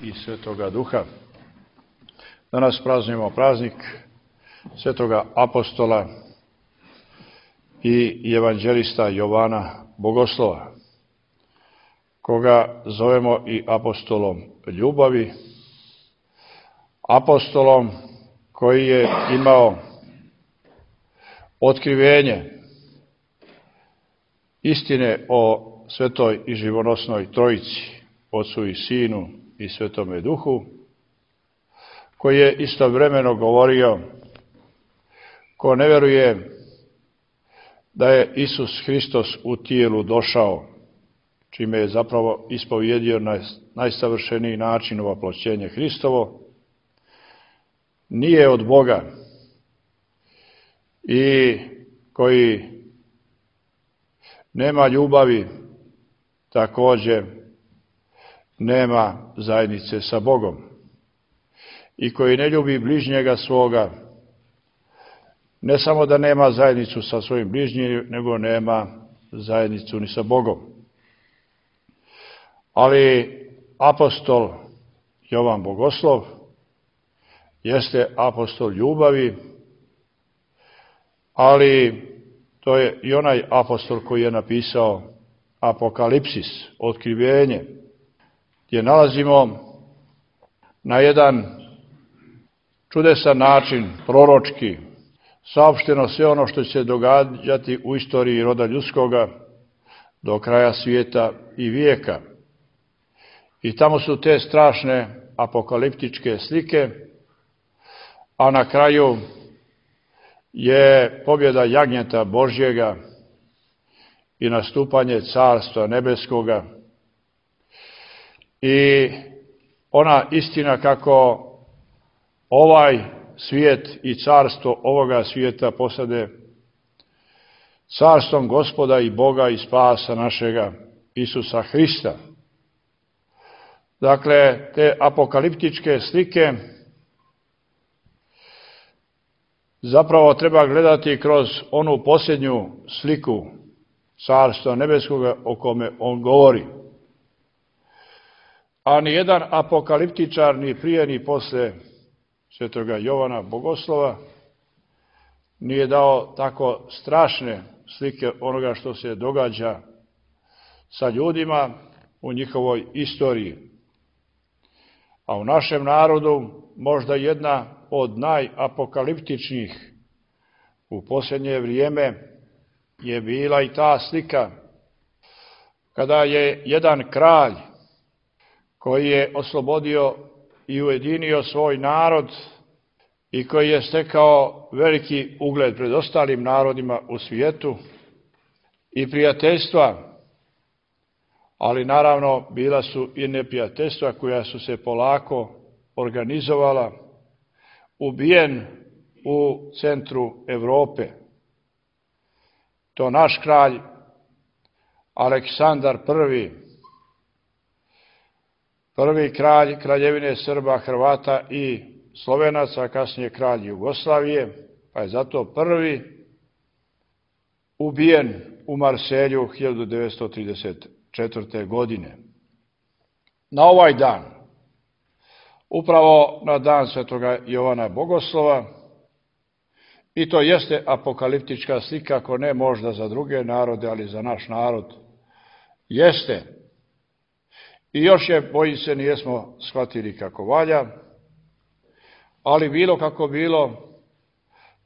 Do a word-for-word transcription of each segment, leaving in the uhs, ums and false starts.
i Svetoga Duha. Danas praznujemo praznik Svetoga apostola i evanđelista Jovana Bogoslova, koga zovemo i apostolom ljubavi, apostolom koji je imao otkrivenje istine o Svetoj i živonosnoj Trojici, Otcu i Sinu i Svetome Duhu, koji je istovremeno govorio: ko ne veruje da je Isus Hristos u tijelu došao, čime je zapravo ispovjedio na najsavršeniji način ovaploćenje Hristovo, nije od Boga, i koji nema ljubavi, također nema zajednice sa Bogom, i koji ne ljubi bližnjega svoga, ne samo da nema zajednicu sa svojim bližnjim, nego nema zajednicu ni sa Bogom. Ali apostol Jovan Bogoslov jeste apostol ljubavi, ali to je i onaj apostol koji je napisao Apokalipsis, otkrivenje, gdje nalazimo na jedan čudesan način, proročki, saopšteno sve ono što će se događati u istoriji roda ljudskoga do kraja svijeta i vijeka. I tamo su te strašne apokaliptičke slike, a na kraju je pobjeda jagnjeta Božjega i nastupanje Carstva nebeskoga i ona istina kako ovaj svijet i carstvo ovoga svijeta posade carstvom Gospoda i Boga i spasa našega Isusa Hrista. Dakle, te apokaliptičke slike zapravo treba gledati kroz onu posljednju sliku Carstva nebeskoga o kome on govori. A ni jedan apokaliptičar ni prije ni posle Svetoga Jovana Bogoslova nije dao tako strašne slike onoga što se događa sa ljudima u njihovoj istoriji. A u našem narodu možda jedna od najapokaliptičnijih u posljednje vrijeme je bila i ta slika kada je jedan kralj koji je oslobodio i ujedinio svoj narod i koji je stekao veliki ugled pred ostalim narodima u svijetu i prijateljstva, ali naravno bila su i neprijateljstva koja su se polako organizovala, ubijen u centru Europe. To naš kralj Aleksandar Prvi, prvi kralj kraljevine Srba, Hrvata i Slovenaca, kasnije kralj Jugoslavije, pa je zato prvi ubijen u Marselju hiljadu devetsto trideset četvrte. godine. Na ovaj dan, upravo na dan Svetoga Jovana Bogoslova, i to jeste apokaliptička slika, ako ne možda za druge narode, ali za naš narod jeste. I još je, bojim se, nijesmo shvatili kako valja, ali bilo kako bilo,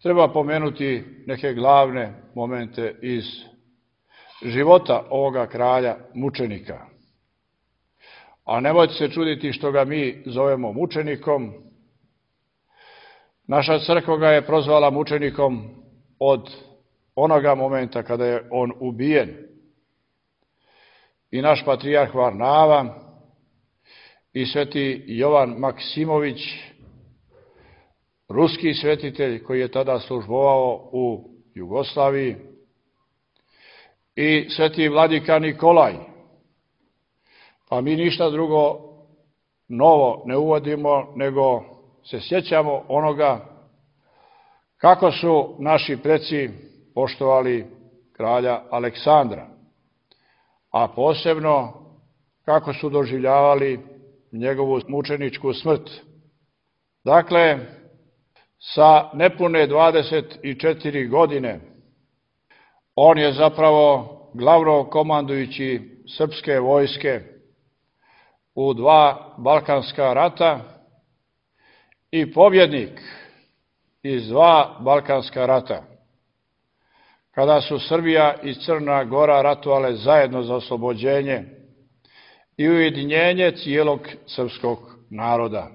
treba pomenuti neke glavne momente iz života ovoga kralja mučenika. A nemojte se čuditi što ga mi zovemo mučenikom. Naša crkva ga je prozvala mučenikom od onoga momenta kada je on ubijen. I naš patrijarh Varnava i sveti Jovan Maksimović, ruski svetitelj koji je tada službovao u Jugoslaviji, i sveti vladika Nikolaj. Pa mi ništa drugo novo ne uvodimo, nego se sjećamo onoga kako su naši preci poštovali kralja Aleksandra, a posebno kako su doživljavali njegovu mučeničku smrt. Dakle, sa nepune dvadeset četiri godine on je zapravo glavnokomandujući srpske vojske u dva Balkanska rata i pobjednik iz dva Balkanska rata, kada su Srbija i Crna Gora ratovale zajedno za oslobođenje i ujedinjenje cijelog srpskog naroda.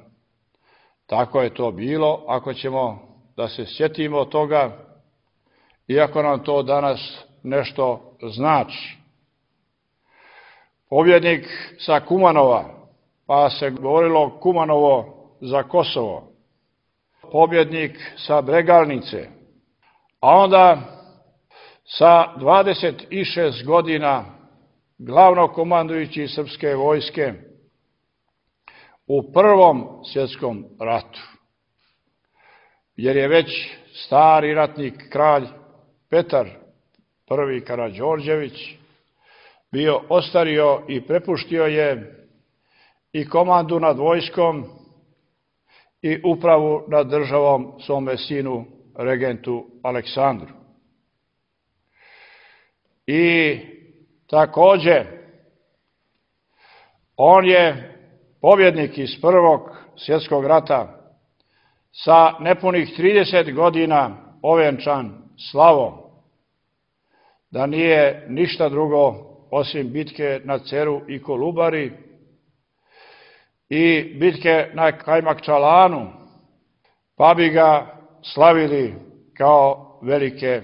Tako je to bilo, ako ćemo da se sjetimo toga, iako nam to danas nešto znači. Pobjednik sa Kumanova, pa se govorilo Kumanovo za Kosovo. Pobjednik sa Bregalnice, a onda sa dvadeset šest godina glavnokomandujući srpske vojske u Prvom svjetskom ratu, jer je već stari ratnik kralj Petar prvi Karađorđević bio ostario i prepuštio je i komandu nad vojskom i upravu nad državom svome sinu, regentu Aleksandru. I takođe, on je pobjednik iz Prvog svjetskog rata sa nepunih trideset godina ovenčan slavom, da nije ništa drugo osim bitke na Ceru i Kolubari i bitke na Kajmakčalanu, pa bi ga slavili kao velike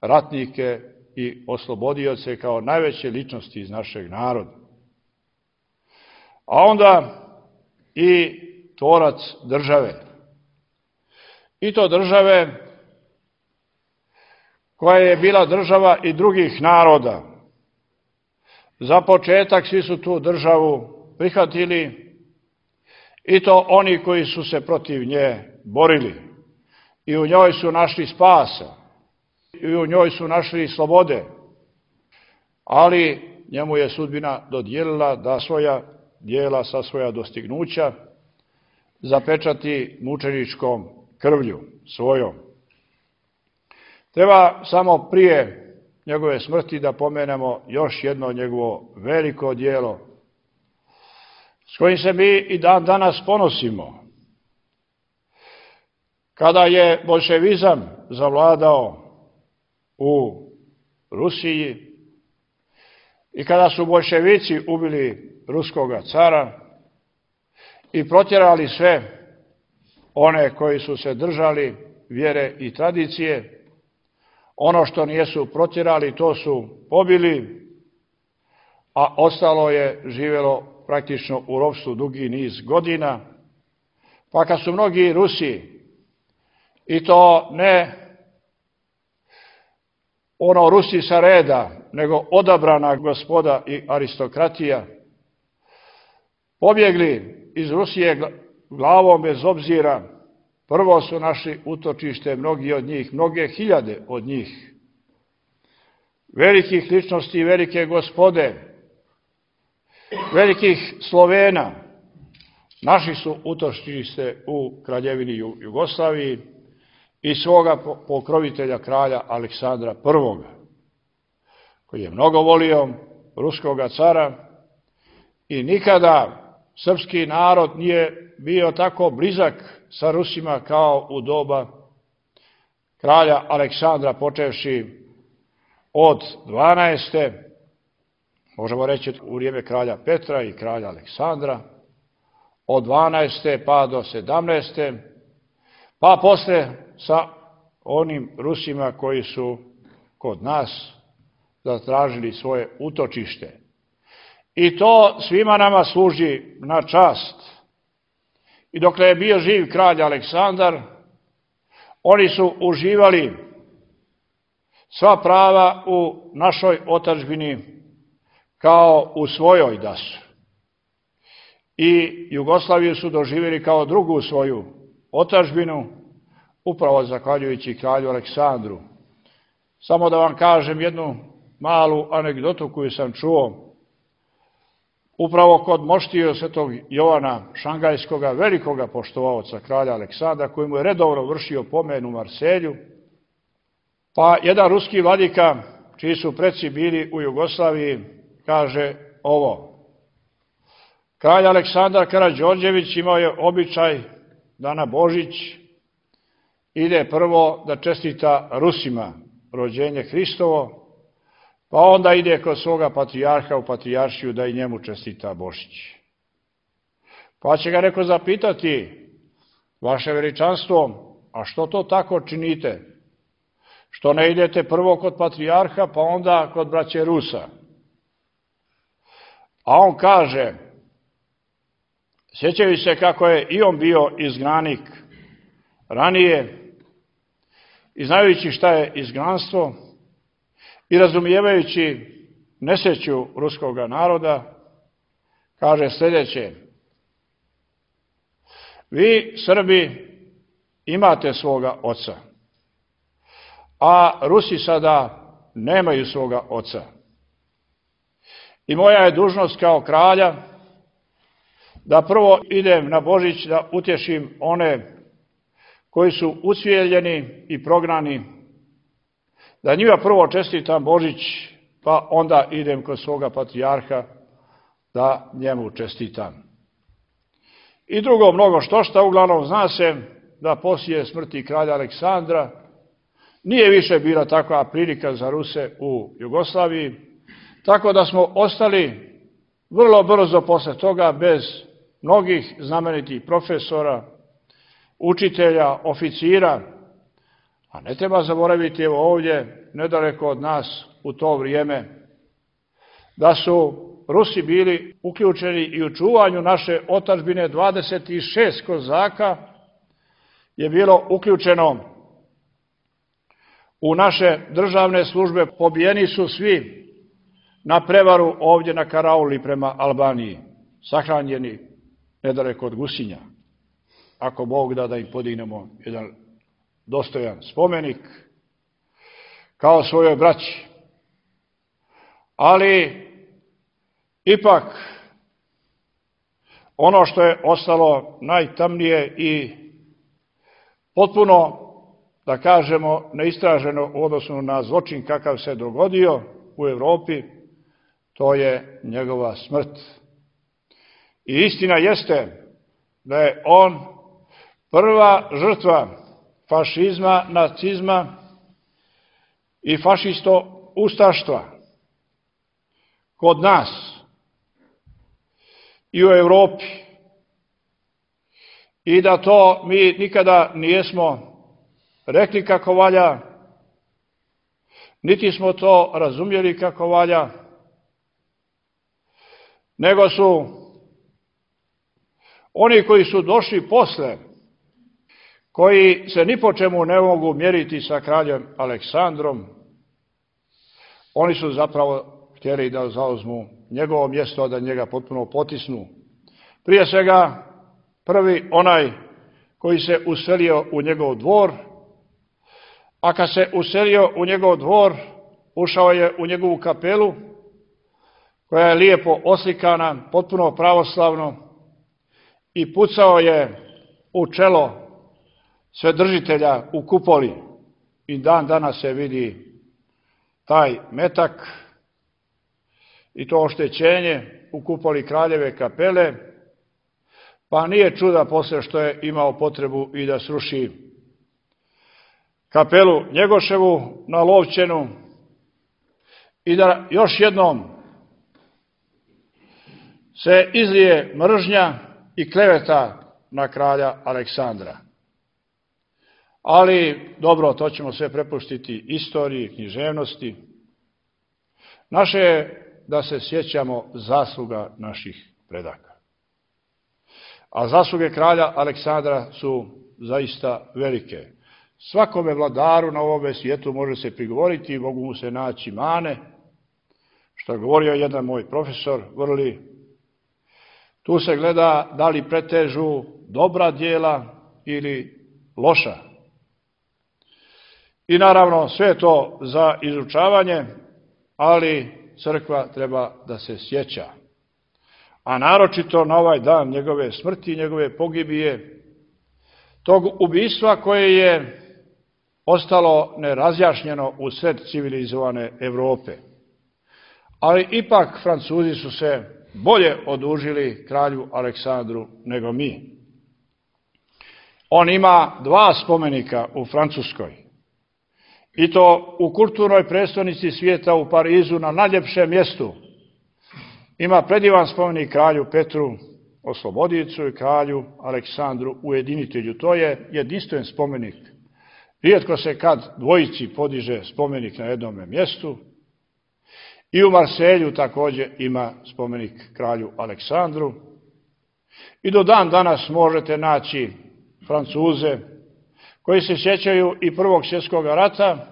ratnike i oslobodioce, kao najveće ličnosti iz našeg naroda. A onda i tvorac države. I to države koja je bila država i drugih naroda. Za početak svi su tu državu prihvatili, i to oni koji su se protiv nje borili. I u njoj su našli spasa, i u njoj su našli slobode. Ali njemu je sudbina dodijelila da svoja dijela sa svoja dostignuća zapečati mučeničkom krvlju svojom. Treba samo prije njegove smrti da pomenemo još jedno njegovo veliko dijelo s kojim se mi i dan danas ponosimo. Kada je boljševizam zavladao u Rusiji i kada su boljševici ubili ruskoga cara i protjerali sve one koji su se držali vjere i tradicije, ono što nijesu protjerali, to su pobili, a ostalo je živjelo praktično u ropstvu dugi niz godina. Pa kad su mnogi Rusi, i to ne ono Rusi sa reda, nego odabrana gospoda i aristokratija, pobjegli iz Rusije glavom bez obzira, prvo su našli utočište mnogi od njih, mnoge hiljade od njih, velikih ličnosti i velike gospode, velikih Slovena, našli su utočište u Kraljevini Jugoslaviji i svoga pokrovitelja kralja Aleksandra prvoga, koji je mnogo volio ruskoga cara i nikada srpski narod nije bio tako blizak sa Rusima kao u doba kralja Aleksandra, počevši od dvanaeste, možemo reći u vrijeme kralja Petra i kralja Aleksandra, od dvanaeste pa do sedamnaeste, pa posle sa onim Rusima koji su kod nas zatražili svoje utočište. I to svima nama služi na čast. I dokle je bio živ kralj Aleksandar, oni su uživali sva prava u našoj otadžbini kao u svojoj da su. I Jugoslaviju su doživjeli kao drugu svoju otadžbinu, upravo zahvaljujući kralju Aleksandru. Samo da vam kažem jednu malu anegdotu koju sam čuo. upravo kod moštije svetog Jovana Šangajskoga, velikoga poštovaoca kralja Aleksandra, koji mu je redovno vršio pomen u Marselju, pa jedan ruski vladika, čiji su preci bili u Jugoslaviji, kaže ovo: kralj Aleksandar Karađorđević imao je običaj da na Božić ide prvo da čestita Rusima rođenje Hristovo, pa onda ide kod svoga patrijarha u patrijaršiju da i njemu čestita Božić. Pa će ga neko zapitati: vaše veličanstvo, a što to tako činite? Što ne idete prvo kod patrijarha, pa onda kod braće Rusa? A on kaže, sjećaju se kako je i on bio izgnanik ranije, i znajući šta je izgnanstvo i razumijevajući nesreću ruskog naroda, kaže sljedeće: vi, Srbi, imate svoga oca, a Rusi sada nemaju svoga oca. I moja je dužnost kao kralja da prvo idem na Božić da utješim one koji su ucvijeljeni i prognani, da njima prvo čestitam Božić, pa onda idem kod svoga patrijarha da njemu čestitam. I drugo mnogo što šta, uglavnom zna se da poslije smrti kralja Aleksandra nije više bila takva prilika za Ruse u Jugoslaviji, tako da smo ostali vrlo brzo posle toga bez mnogih znamenitih profesora, učitelja, oficira, a ne treba zaboraviti, evo ovdje, nedaleko od nas u to vrijeme, da su Rusi bili uključeni i u čuvanju naše otadžbine. dvadeset šest kozaka je bilo uključeno u naše državne službe, pobijeni su svi na prevaru ovdje na Karauli prema Albaniji, sahranjeni nedaleko od Gusinja. Ako Bog da, da im podignemo jedan dostojan spomenik kao svojoj braći. Ali ipak ono što je ostalo najtamnije i potpuno, da kažemo, neistraženo u odnosu na zločin kakav se dogodio u Evropi, to je njegova smrt. I istina jeste da je on prva žrtva fašizma, nacizma i fašisto-ustaštva kod nas i u Evropi. I da to mi nikada nijesmo rekli kako valja, niti smo to razumjeli kako valja, nego su oni koji su došli posle, koji se ni po čemu ne mogu mjeriti sa kraljem Aleksandrom, oni su zapravo htjeli da zauzmu njegovo mjesto, da njega potpuno potisnu. Prije svega, prvi onaj koji se uselio u njegov dvor, a kad se uselio u njegov dvor, ušao je u njegovu kapelu, koja je lijepo oslikana, potpuno pravoslavno, i pucao je u čelo svedržitelja u kupoli. I dan danas se vidi taj metak i to oštećenje u kupoli kraljeve kapele, pa nije čuda posle što je imao potrebu i da sruši kapelu Njegoševu na Lovćenu i da još jednom se izlije mržnja i kleveta na kralja Aleksandra. Ali, dobro, to ćemo sve prepustiti istoriji, književnosti. Naše je da se sjećamo zasluga naših predaka. A zasluge kralja Aleksandra su zaista velike. Svakome vladaru na ovome svijetu može se prigovoriti, mogu mu se naći mane, što je govorio jedan moj profesor Vrli. Tu se gleda da li pretežu dobra djela ili loša. I naravno sve je to za izučavanje, ali crkva treba da se sjeća. a naročito na ovaj dan njegove smrti, njegove pogibije, tog ubistva koje je ostalo nerazjašnjeno u sred civilizovane Evrope. Ali ipak Francuzi su se bolje odužili kralju Aleksandru nego mi. On ima dva spomenika u Francuskoj, i to u kulturnoj prestonici svijeta u Parizu na najljepšem mjestu. Ima predivan spomenik kralju Petru Oslobodiocu i kralju Aleksandru Ujedinitelju. To je jedinstven spomenik. Rijetko se kad dvojici podiže spomenik na jednom mjestu. I u Marselju također ima spomenik kralju Aleksandru. I do dan danas možete naći Francuze koji se sjećaju i Prvog svjetskog rata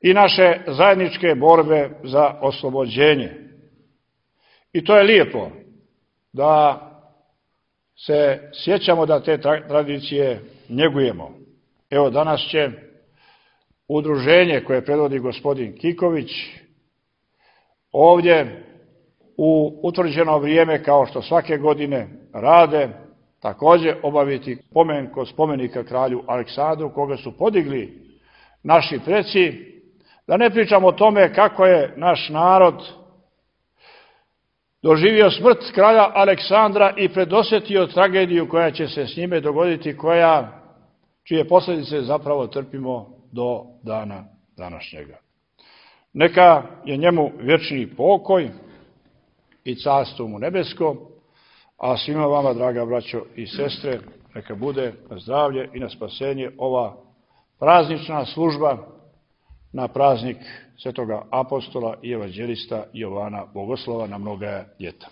i naše zajedničke borbe za oslobođenje. I to je lijepo da se sjećamo, da te tradicije njegujemo. Evo, danas će udruženje koje predvodi gospodin Kiković ovdje u utvrđeno vrijeme, kao što svake godine rade, također obaviti pomen kod spomenika kralju Aleksandru, koga su podigli naši preci. Da ne pričamo o tome kako je naš narod doživio smrt kralja Aleksandra i predosjetio tragediju koja će se s njime dogoditi, koja, čije posljedice zapravo trpimo do dana današnjega. Neka je njemu vječni pokoj i carstvo mu nebesko, a svima vama, draga braćo i sestre, neka bude na zdravlje i na spasenje ova praznična služba na praznik svetoga apostola i evanđelista Jovana Bogoslova na mnoga ljeta.